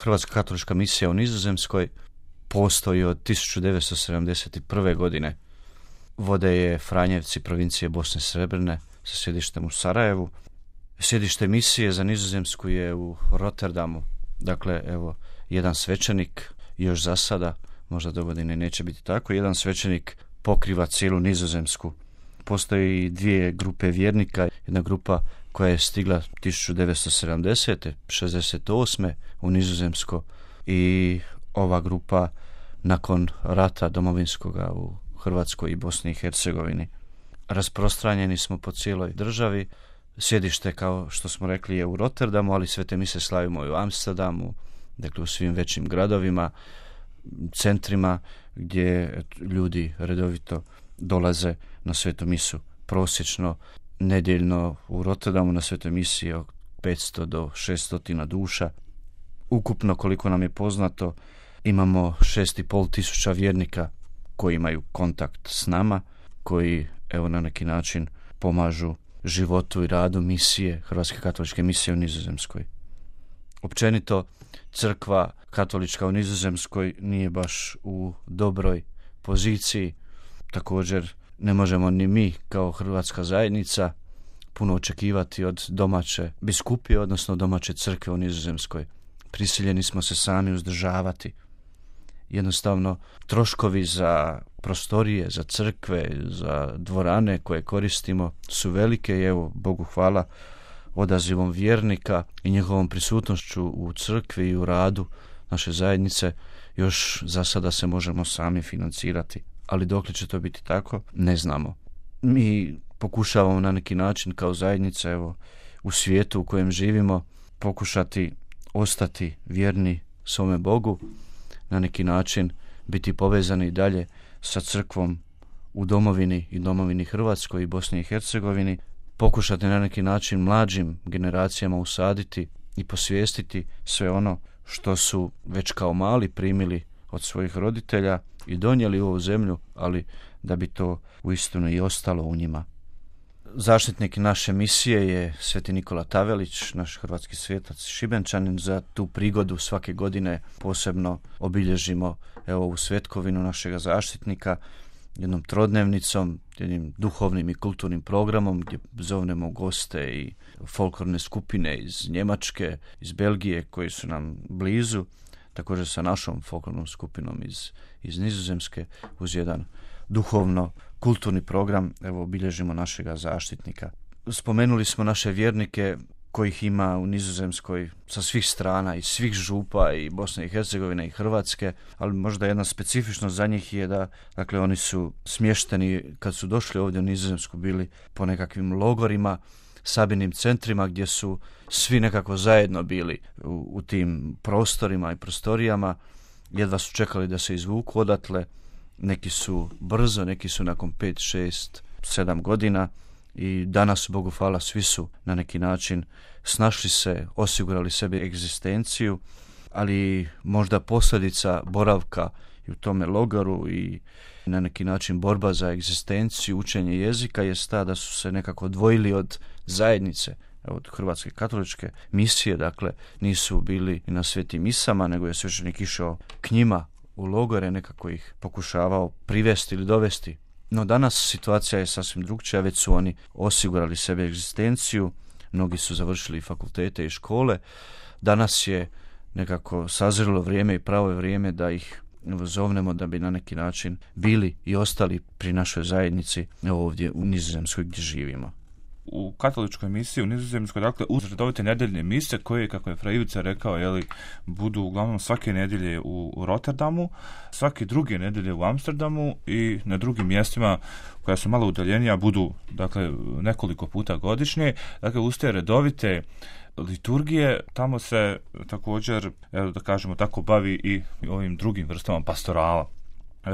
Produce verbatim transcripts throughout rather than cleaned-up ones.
Hrvatska katolička misija u Nizozemskoj postoji od tisuću devetsto sedamdeset prve. godine. Vode je Franjevci, provincije Bosne i Srebrne, sa sjedištem u Sarajevu. Sjedište misije za Nizozemsku je u Rotterdamu. Dakle, evo, jedan svećenik, još za sada, možda do godine neće biti tako, jedan svećenik pokriva cijelu Nizozemsku. Postoji dvije grupe vjernika, jedna grupa koja je stigla tisuću devetsto sedamdesete. šezdeset osme. u Nizozemsko i ova grupa nakon rata domovinskoga u Hrvatskoj i Bosni i Hercegovini. Rasprostranjeni smo po cijeloj državi. Sjedište, kao što smo rekli, je u Rotterdamu, ali svete mise slavimo i u Amsterdamu, dakle u svim većim gradovima, centrima gdje ljudi redovito dolaze na svetu misu. Prosječno nedjeljno u Rotterdamu na svetoj misi od petsto do šesto duša. Ukupno, koliko nam je poznato, imamo šest i pol tisuća vjernika koji imaju kontakt s nama, koji evo na neki način pomažu životu i radu misije, Hrvatske katoličke misije u Nizozemskoj. Općenito, crkva katolička u Nizozemskoj nije baš u dobroj poziciji. Također, ne možemo ni mi kao hrvatska zajednica puno očekivati od domaće biskupije, odnosno domaće crkve u Nizozemskoj. Prisiljeni smo se sami uzdržavati. Jednostavno, troškovi za prostorije, za crkve, za dvorane koje koristimo su velike i evo, Bogu hvala, odazivom vjernika i njihovom prisutnošću u crkvi i u radu naše zajednice još za sada se možemo sami financirati. Ali dokle će to biti tako, ne znamo. Mi pokušavamo na neki način kao zajednica, evo, u svijetu u kojem živimo, pokušati ostati vjerni svome Bogu, na neki način biti povezani i dalje sa crkvom u domovini i domovini Hrvatskoj i Bosni i Hercegovini, pokušati na neki način mlađim generacijama usaditi i posvijestiti sve ono što su već kao mali primili od svojih roditelja i donijeli u ovu zemlju, ali da bi to uistinu i ostalo u njima. Zaštitnik naše misije je sveti Nikola Tavelić, naš hrvatski svetac Šibenčanin. Za tu prigodu svake godine posebno obilježimo evo ovu svetkovinu našega zaštitnika jednom trodnevnicom, jednim duhovnim i kulturnim programom gdje zovnemo goste i folklorne skupine iz Njemačke, iz Belgije koji su nam blizu, također sa našom folklornom skupinom iz, iz Nizozemske uz jedan duhovno kulturni program, evo obilježimo našega zaštitnika. Spomenuli smo naše vjernike kojih ima u Nizozemskoj sa svih strana, iz svih župa i Bosne i Hercegovine i Hrvatske, ali možda jedna specifičnost za njih je da, dakle, oni su smješteni kad su došli ovdje u Nizozemsku bili po nekakvim logorima, sabirnim centrima gdje su svi nekako zajedno bili u, u tim prostorima i prostorijama. Jedva su čekali da se izvuku odatle. Neki su brzo, neki su nakon pet, šest, sedam godina i danas, Bogu hvala, svi su na neki način snašli se, osigurali sebi egzistenciju, ali možda posljedica boravka i u tome logoru i na neki način borba za egzistenciju, učenje jezika je ta da su se nekako odvojili od zajednice, od Hrvatske katoličke misije, dakle nisu bili na svetim misama, nego je svećenik išao k njima u logore, nekako ih pokušavao privesti ili dovesti. No danas situacija je sasvim drugčija, već su oni osigurali sebe egzistenciju, mnogi su završili fakultete i škole. Danas je nekako sazrelo vrijeme i pravo je vrijeme da ih zovnemo da bi na neki način bili i ostali pri našoj zajednici ovdje u Nizozemskoj gdje živimo. U katoličkoj misiji u Nizozemskoj, dakle, uz redovite nedeljne mise koje, kako je Fra Ivica rekao, jeli, budu uglavnom svake nedjelje u, u Rotterdamu, svake druge nedjelje u Amsterdamu i na drugim mjestima koja su malo udaljenija budu, dakle, nekoliko puta godišnje. Dakle, uz te redovite liturgije tamo se također, evo da kažemo tako, bavi i ovim drugim vrstama pastorala.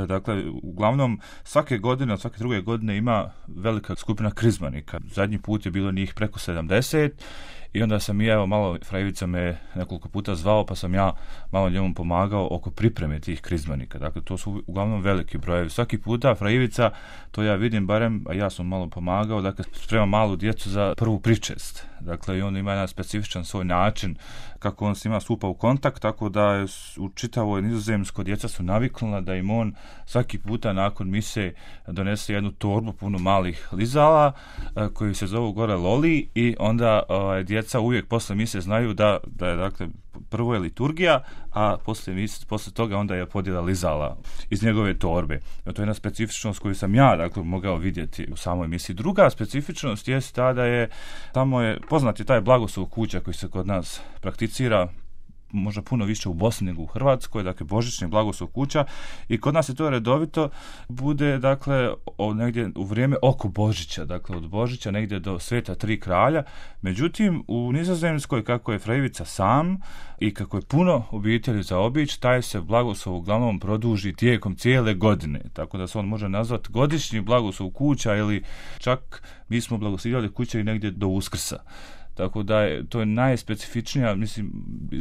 Dakle, uglavnom svake godine, od svake druge godine ima velika skupina krizmanika. Zadnji put je bilo njih preko sedamdeset i onda sam i ja, evo, malo, fra Ivica me nekoliko puta zvao, pa sam ja malo njemu pomagao oko pripreme tih krizmanika. Dakle, to su uglavnom veliki brojevi. Svaki puta fra Ivica, to ja vidim barem, a ja sam malo pomagao, dakle, sprema malu djecu za prvu pričest. Dakle, i on ima jedan specifičan svoj način kako on s njima stupa u kontakt, tako da je u čitavoj Nizozemskoj djeca su naviknula da im on svaki puta nakon mise donese jednu torbu puno malih lizala koji se zovu gore loli i onda ovaj, djeca uvijek posle mise znaju da, da je, dakle, prvo je liturgija, a posle, mise, posle toga onda je podjela lizala iz njegove torbe. I to je jedna specifičnost koju sam ja, dakle, mogao vidjeti u samoj misiji. Druga specifičnost je ta da je tamo je poznat je taj blagoslov kuća koji se kod nas prakticira možda puno više u Bosni nego u Hrvatskoj, dakle božićni blagoslov kuća, i kod nas je to redovito bude, dakle, o, negdje u vrijeme oko Božića, dakle od Božića negdje do Sveta Tri kralja. Međutim, u Nizozemskoj, kako je fra Ivica sam i kako je puno obitelji za obići, taj se blagoslov uglavnom produži tijekom cijele godine, tako da se on može nazvati godišnji blagoslov kuća, ili čak mi smo blagoslovljali kuće i negdje do Uskrsa. Tako da je, to je najspecifičnija, mislim,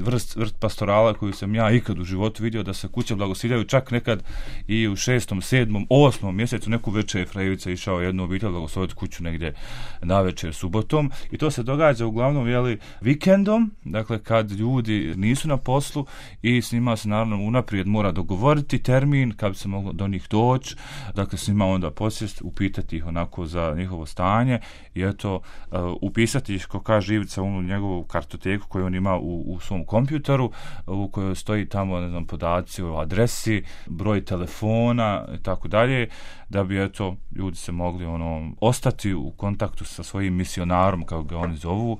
vrst, vrst pastorala koju sam ja ikad u životu vidio, da se kuće blagosiljaju, čak nekad i u šestom, sedmom, osmom mjesecu. Neku večer je fra Ivica išao jednu obitelj blagosloviti kuću negdje na večer subotom, i to se događa uglavnom, jeli, vikendom, dakle kad ljudi nisu na poslu i s njima se naravno unaprijed mora dogovoriti termin kad bi se moglo do njih doći, dakle s njima onda posjest, upitati ih onako za njihovo stanje i eto, uh, upisati ih, ko kaže Ivica, u njegovu kartoteku koju on ima u, u svom kompjuteru, u kojoj stoji tamo, ne znam, podaci o adresi, broj telefona i tako dalje, da bi, eto, ljudi se mogli ono ostati u kontaktu sa svojim misionarom, kako ga oni zovu,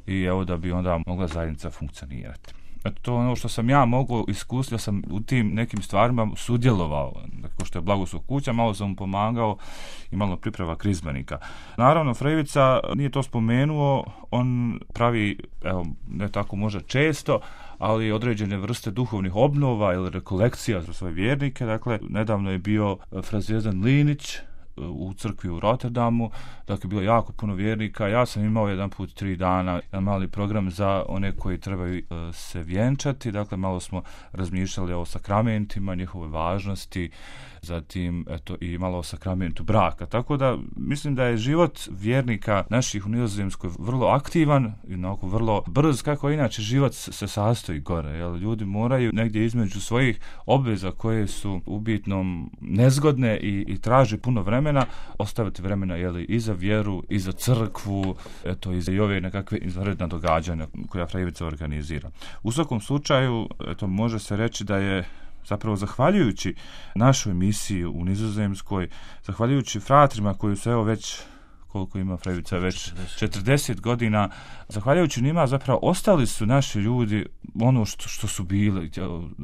i evo da bi onda mogla zajednica funkcionirati. Eto, to je ono što sam ja mogao iskusiti, da sam u tim nekim stvarima sudjelovao, dakle, što je blagoslov kuća, malo sam mu pomagao i malo priprema krizmanika. Naravno, fra Ivica nije to spomenuo, on pravi, evo, ne tako možda često, ali određene vrste duhovnih obnova ili rekolekcija za svoje vjernike. Dakle, nedavno je bio fra Zvijezdan Linić u crkvi u Rotterdamu, dakle bilo jako puno vjernika. Ja sam imao jedan put tri dana jedan mali program za one koji trebaju uh, se vjenčati, dakle malo smo razmišljali o sakramentima, njihove važnosti, zatim eto i malo o sakramentu braka. Tako da mislim da je život vjernika naših u Nizozemskoj vrlo aktivan i onako vrlo brz, kako inače život se sastoji gore, jel? Ljudi moraju negdje između svojih obveza koje su u bitnom nezgodne i, i traže puno vremena, ostaviti vremena, jel, i za vjeru, i za crkvu, eto, i za i ove nekakve izvanredna događanja koja fra Ivica organizira. U svakom slučaju, eto, može se reći da je zapravo zahvaljujući našoj misiji u Nizozemskoj, zahvaljujući fratrima koji su, evo, već, koliko ima fra Ivica, već četrdeset godina, zahvaljujući njima zapravo ostali su naši ljudi ono što, što su bili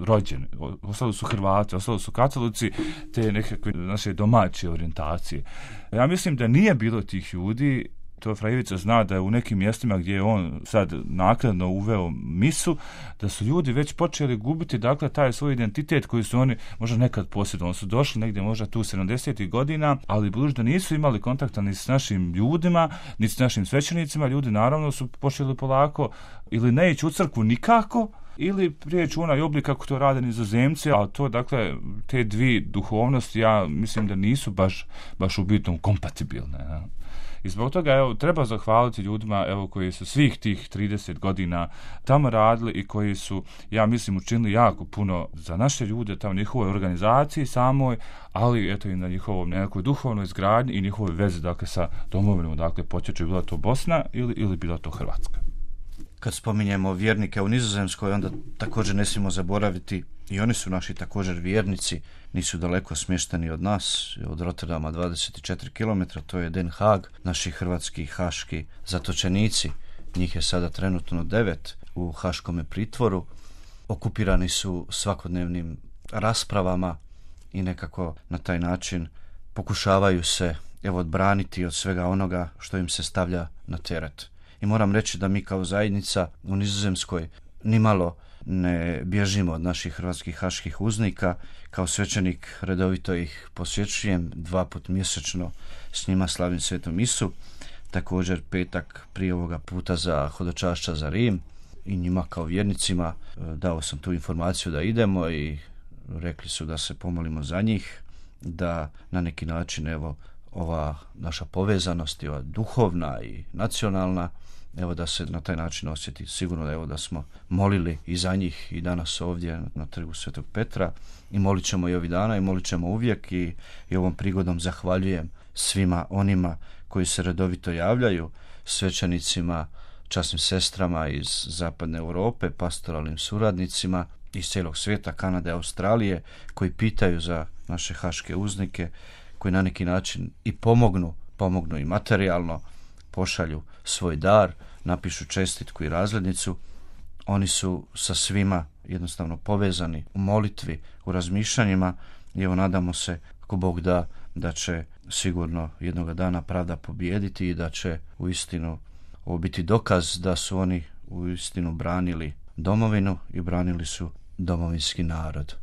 rođeni, ostali su Hrvati, ostali su katolici, te nekakve naše domaće orijentacije. Ja mislim da nije bilo tih ljudi. To fra Ivica zna da je u nekim mjestima gdje je on sad naknadno uveo misu, da su ljudi već počeli gubiti, dakle, taj svoj identitet koji su oni možda nekad posjedovali. Oni su došli negdje možda tu sedamdesetih godina, ali budući da nisu imali kontakta ni s našim ljudima, ni s našim svećenicima, ljudi naravno su počeli polako ili ne ići u crkvu nikako, ili prijeći u onaj oblik kako to rade Nizozemci, ali to, dakle, te dvije duhovnosti, ja mislim da nisu baš, baš u bitnom kompatibilne, ne? I zbog toga, evo, treba zahvaliti ljudima, evo, koji su svih tih trideset godina tamo radili i koji su, ja mislim, učinili jako puno za naše ljude, tamo njihovoj organizaciji samoj, ali eto i na njihovom nekoj duhovnoj izgradnji i njihovoj vezi, dakle, sa domovinom, dakle, počeće bila to Bosna ili, ili bila to Hrvatska. Kad spominjemo vjernike u Nizozemskoj, onda također ne smijemo zaboraviti, i oni su naši također vjernici, nisu daleko smješteni od nas, od Rotterdama dvadeset četiri kilometra, to je Den Haag, naši hrvatski haški zatočenici, njih je sada trenutno devet u haškome pritvoru, okupirani su svakodnevnim raspravama i nekako na taj način pokušavaju se, evo, odbraniti od svega onoga što im se stavlja na teret. I moram reći da mi kao zajednica u Nizozemskoj nimalo ne bježimo od naših hrvatskih haških uznika. Kao svećenik redovito ih posjećujem, dva put mjesečno s njima slavim svetu misu. također petak prije ovoga puta za hodočašća za Rim i njima kao vjernicima dao sam tu informaciju da idemo i rekli su da se pomolimo za njih, da na neki način evo ova naša povezanost, ova duhovna i nacionalna, evo da se na taj način osjeti. Sigurno da evo da smo molili i za njih i danas ovdje na trgu Svetog Petra i molit ćemo i ovih dana i molit ćemo uvijek i, i ovom prigodom zahvaljujem svima onima koji se redovito javljaju, svećenicima, časnim sestrama iz zapadne Europe, pastoralnim suradnicima iz cijelog svijeta, Kanade, Australije, koji pitaju za naše haške uznike, koji na neki način i pomognu, pomognu i materijalno, pošalju svoj dar, napišu čestitku i razglednicu. Oni su sa svima jednostavno povezani u molitvi, u razmišljanjima i evo nadamo se, ako Bog da, da će sigurno jednoga dana pravda pobijediti i da će uistinu ovo biti dokaz da su oni uistinu branili domovinu i branili su domovinski narod.